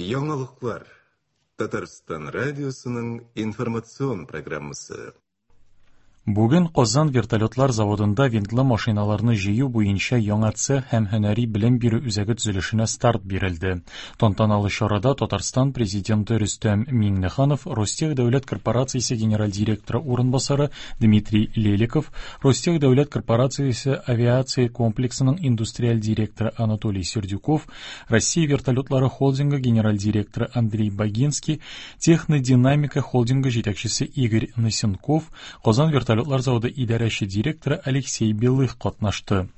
Яңалыклар. Татарстан радиосының информацион программасы. Бүген Казан вертолетлар заводында винтлы машиналарны җыю буенча яңа цех һәм һөнәри белем бирү үзәге төзелешенә старт бирелде. Тантаналы чарада Татарстан Президенты Рөстәм Миңнеханов, Ростех дәүләт корпорациясе генераль директоры урынбасары Дмитрий Леликов, Ростех дәүләт корпорациясе авиация комплексының индустриаль директоры Анатолий Сердюков, Россия вертолетлары холдингы генераль директоры Андрей Богинский, Технодинамика холдингы җитәкчесе Игорь Носенков, Казан вертолетлар заводы идарәче директоры Алексей Белых катнашты.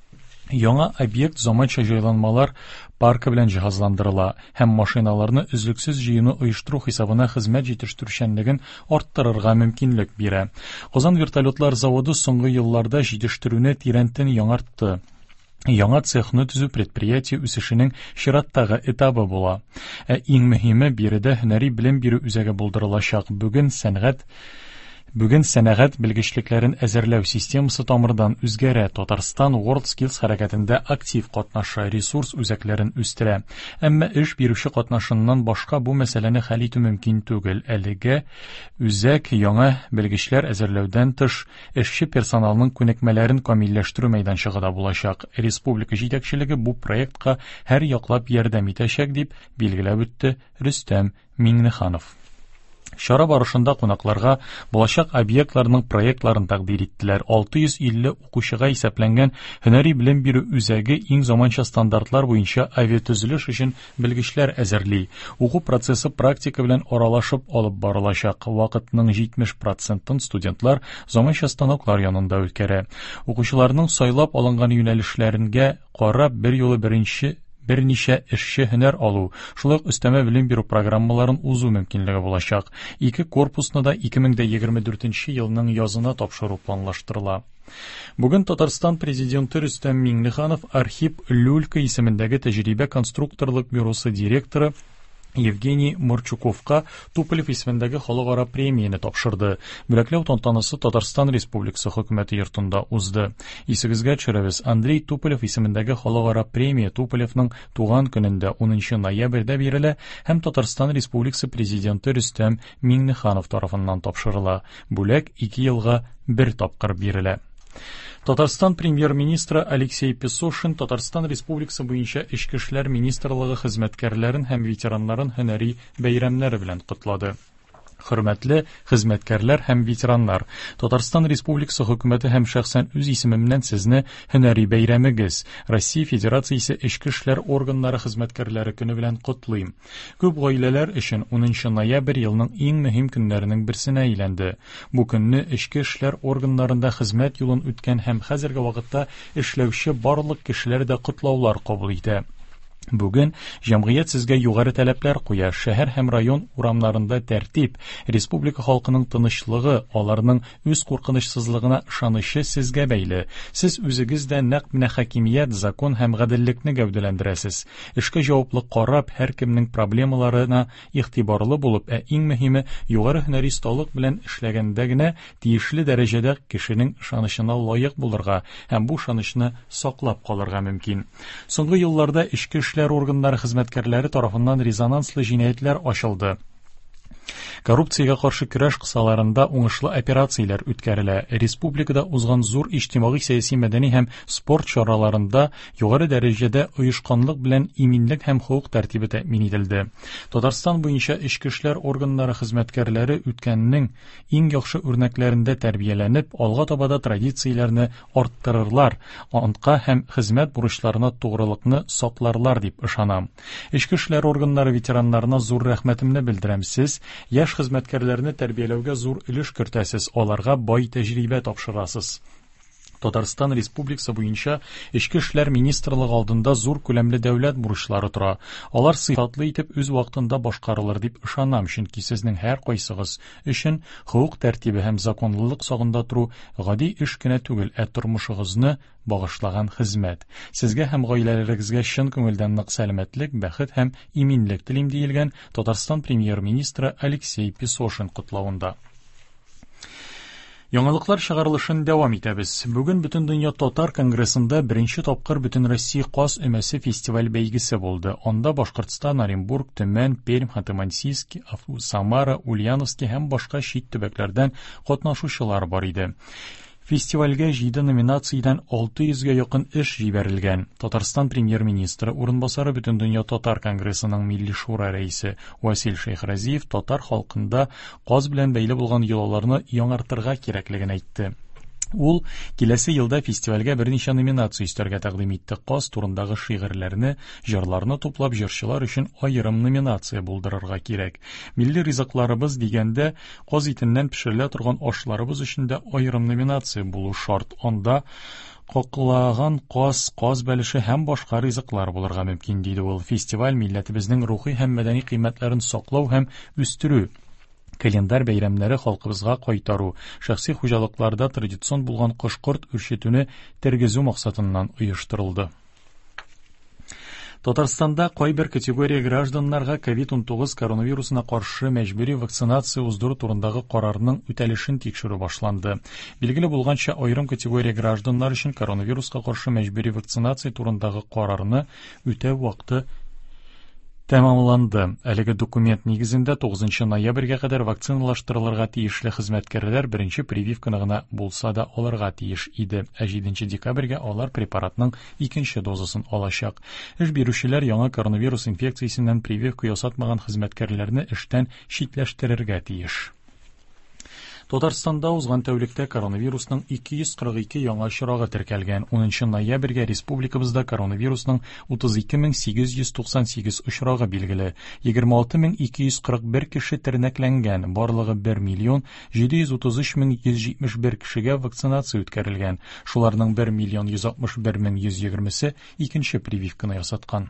Яңа объект заманча җайланмалар паркы белән җиһазландырыла һәм машиналарны өзлексез җыюны оештыру хисабына хезмәт җитештерүчәнлеген арттырырга мөмкинлек бирә. Казан вертолетлар заводы соңгы елларда җитештерүне тирәнтен яңартты. Яңа цехны төзү предприятие үсешенең чираттагы этабы була. Ә иң мөһиме, биредә һөнәри белем бирү үзәге булдырылачак. Бүген сәнгать Бүген сәнәгать белгечлекләрен әзерләү системасы тамырдан үзгәрә. Татарстан WorldSkills хәрәкәтендә актив катнаша, ресурс үзәкләрен үстерә. Әмма эш бирүче катнашыннан башка бу мәсьәләне хәл итү мөмкин түгел. Әлегә үзәк яңа белгечләр әзерләүдән тыш, эшче персоналның күнекмәләрен камилләштерү мәйданчыгы да булачак. Республика җитәкчелеге бу проектка һәр яклап ярдәм итәчәк, дип билгеләп үтте Рөстәм Миңнеханов. Чара барышында кунакларга булачак объектларның проектларын тәкъдир иттеләр. 650 укучыга исәпләнгән һөнәри белем бирү үзәге иң заманча стандартлар буенча авиатөзелеш өчен белгечләр әзерли. Уку процессы практика белән аралашып алып барылачак. Вакытның 70 процентын студентлар заманча станоклар янында үткәрә. Укучыларның сайлап алынган юнәлешләренә карап берьюлы беренче берничә эшче һөнәр алу, шулай ук өстәмә белем бирү программаларын узу мөмкинлеге булачак. Ике корпусны да 2024 елның язына тапшыру планлаштырыла. Бүген Татарстан Президенты Рөстәм Миңнеханов Архип Люлька исемендәге тәҗрибә конструкторлык бюросы директоры Евгений Морчуковка Туполев исемендәге халыкара премияне тапшырды. Бүләкләү тантанасы Татарстан Республикасы хөкүмәте йортында узды. Исегезгә төшерәбез, Андрей Туполев исемендәге халыкара премия Туполевның туган көнендә 10 ноябрьдә бирелә һәм Татарстан Республикасы Президенты Рөстәм Миңнеханов тарафыннан тапшырыла. Бүләк ике елга бер тапкыр бирелә. Татарстан премьер-министры Алексей Песошин Татарстан Республикасы буенча Эчке эшләр министрлыгы хезмәткәрләрен һәм ветераннарын һөнәри бәйрәмнәре белән котлады. Хөрмәтле хезмәткәрләр һәм ветераннар, Татарстан Республикасы хөкүмәте һәм шәхсән үз исемемнән сезне һөнәри бәйрәмегез, Россия Федерациясе Эчке эшләр органнары хезмәткәрләре көне белән котлыйм. Күп гаиләләр өчен 10 ноябрь елның иң мөһим көннәренең берсенә әйләнде. Бу көнне эчке эшләр органнарында хезмәт юлын үткән һәм хәзерге вакытта эшләүче барлык кешеләр дә котлаулар кабул итә. Бүген җәмгыять сезгә югары таләпләр куя. Шәһәр һәм район урамнарында тәртип, республика халкының тынычлыгы, аларның үз куркынычсызлыгына ышанычы сезгә бәйле. Сез үзегез дә нәкъ менә хакимият, закон һәм гаделлекне гәүдәләндерәсез. Эшкә җаваплы карап, һәркемнең проблемаларына игътибарлы булып, ә иң мөһиме, югары һөнәри осталык белән эшләгәндә генә тиешле дәрәҗәдә кешенең ышанычына лаек булырга һәм бу ышанычны саклап калырга мөмкин. Соңгы елларда эчке эшләр органнары хезмәткәрләре тарафыннан резонанслы җинаятьләр ачылды. Коррупциягә каршы көрәш кысаларында уңышлы операцияләр үткәрелә. Республикада узган зур иҗтимагый, сәяси, мәдәни һәм спорт чараларында югары дәрәҗәдә оешканлык белән иминлек һәм хокук тәртибе тәэмин ителде. Татарстан буенча эчке эшләр органнары хезмәткәрләре үткәннең иң яхшы үрнәкләрендә тәрбияләнеп, алга таба да традицияләрне арттырырлар, антка һәм хезмәт бурычларына тугрылыкны сакларлар дип ышанам. Эчке эшләр органнары ветераннарына зур рәхмәтемне белдерәм. Сез яшь хезмәткәрләрне тәрбияләүгә зур өлеш кертәсез, аларга бай тәҗрибә тапшырасыз. Татарстан Республикасы буенча Эчке эшләр министрлыгы алдында зур күләмле дәүләт бурычлары тора. Алар сыйфатлы итеп үз вакытында башкарылыр дип ышанам, чөнки сезнең һәркайсыгыз өчен хокук тәртибе һәм законлылык сагында тору гади эш кенә түгел, ә тормышыгызны багышлаган хезмәт. Сезгә һәм гаиләләрегезгә чын күңелдән нык сәламәтлек, бәхет һәм иминлек телим, диелгән Татарстан Премьер-министры Алексей Песошин котлавында. Яңалыклар чыгарылышын дәвам итәбез. Бүген Бөтендөнья татар конгрессында беренче тапкыр Бөтенроссия каз өмәсе фестиваль бәйгесе булды. Анда Башкортстан, Оренбург, Төмән, Пермь, Ханты-Мансийск, Самара, Ульяновский һәм башка чит төбәкләрдән катнашучылар бар иде. Фестивальгә 7 номинациядән 600 гә якын эш җибәрелгән. Татарстан премьер-министры урынбасары Бөтендөнья татар конгрессының Милли шура рәисе Васил Шәйхразиев татар халкында каз белән бәйле булган йолаларны яңартырга кирәклеген әйтте. Ул киләсе елда фестивальгә берничә номинация өстәргә тәкъдим итте. Каз турындагы шигырьләрне, җырларны туплап җырчылар өчен аерым номинация булдырырга кирәк. Милли ризыкларыбыз дигәндә, каз итеннән пешерелә торган ашларыбыз өчен дә аерым номинация булу шарт. Анда каклаган каз, каз бәлеше һәм башка ризыклар булырга мөмкин, диде ул. Фестиваль милләтебезнең рухи һәм мәдәни кыйммәтләрен саклау һәм үстерү, календарь бәйрәмнәре халкыбызга кайтару, шәхси хуҗалыкларда традицион булган кош-корт үрчетүне тергезү максатыннан оештырылды. Татарстанда кайбер категория гражданнарга COVID-19 коронавирусына каршы мәҗбүри вакцинация уздыру турындагы карарның үтәлешен тикшерү башланды. Билгеле булганча, аерым категория гражданнар өчен коронавируска каршы мәҗбүри вакцинация турындагы карарны үтәү вакыты тәмамланды. Әлеге документ нигезендә 9 ноябрьгә кадәр вакциналаштырылырга тиешле хезмәткәрләр беренче прививканы гына булса да алырга тиеш иде. Ә 7 декабрьгә алар препаратның икенче дозасын алачак. Эш бирүчеләр яңа коронавирус инфекциясеннән прививка ясатмаган хезмәткәрләрне эштән читләштерергә тиеш. Татарстанда узган тәүлектә коронавирусның 242 яңа очрагы теркәлгән. 10 ноябрьгә республикабызда коронавирусның 32898 очрагы билгеле. 26241 кеше тернәкләнгән. Барлыгы 1 миллион 733 мең 171 кешегә вакцинация үткәрелгән. Шуларның 1 миллион 161 мең 120-се икенче прививканы ясаткан.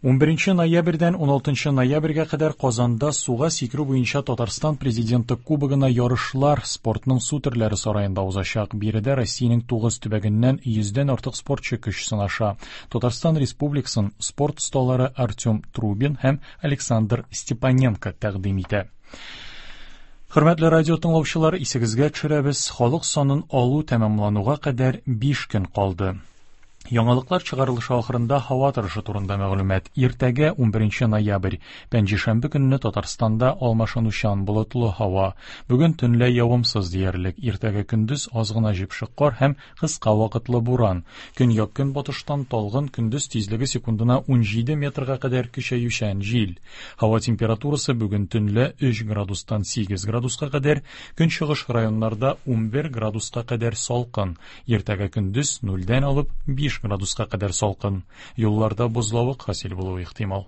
11 ноябрьдән 16 ноябрьгә кадәр Казанда суга сикерү буенча Татарстан Президенты Кубогына ярышлар спортның су төрләре сараенда узачак. Биредә Россиянең 9 төбәгеннән 100дән артык спортчы көч сынаша. Татарстан Республикасын спорт осталары Артем Трубин һәм Александр Степаненко тәкъдим итә. Хөрмәтле радио тыңлаучылар, исегезгә төшерәбез, халык санын алу тәмамлануга кадәр 5 көн калды. Яңалыклар чыгарылышы ахырында һава торышы турында мәгълүмат. Иртәгә 11 ноябрь, пәнҗешәмбе көнне Татарстанда алмашынучан болытлы һава. Бүген төнлә явымсыз диярлек. Иртәгә көндез аз гына җепшек кар һәм кыска вакытлы буран. Көньяк-көнбатыштан талгын көндез тизлеге секундына 17 метрга кадәр көчәючән җил. Һава температурасы бүген төнлә 3 градустан 8 градуска кадәр, көнчыгыш районнарда 11 градуска кадәр салкын. Иртәгә көндез 0-дән алып 5 градуска кадәр салкын. Юлларда бозлавык хасил булуы ихтимал.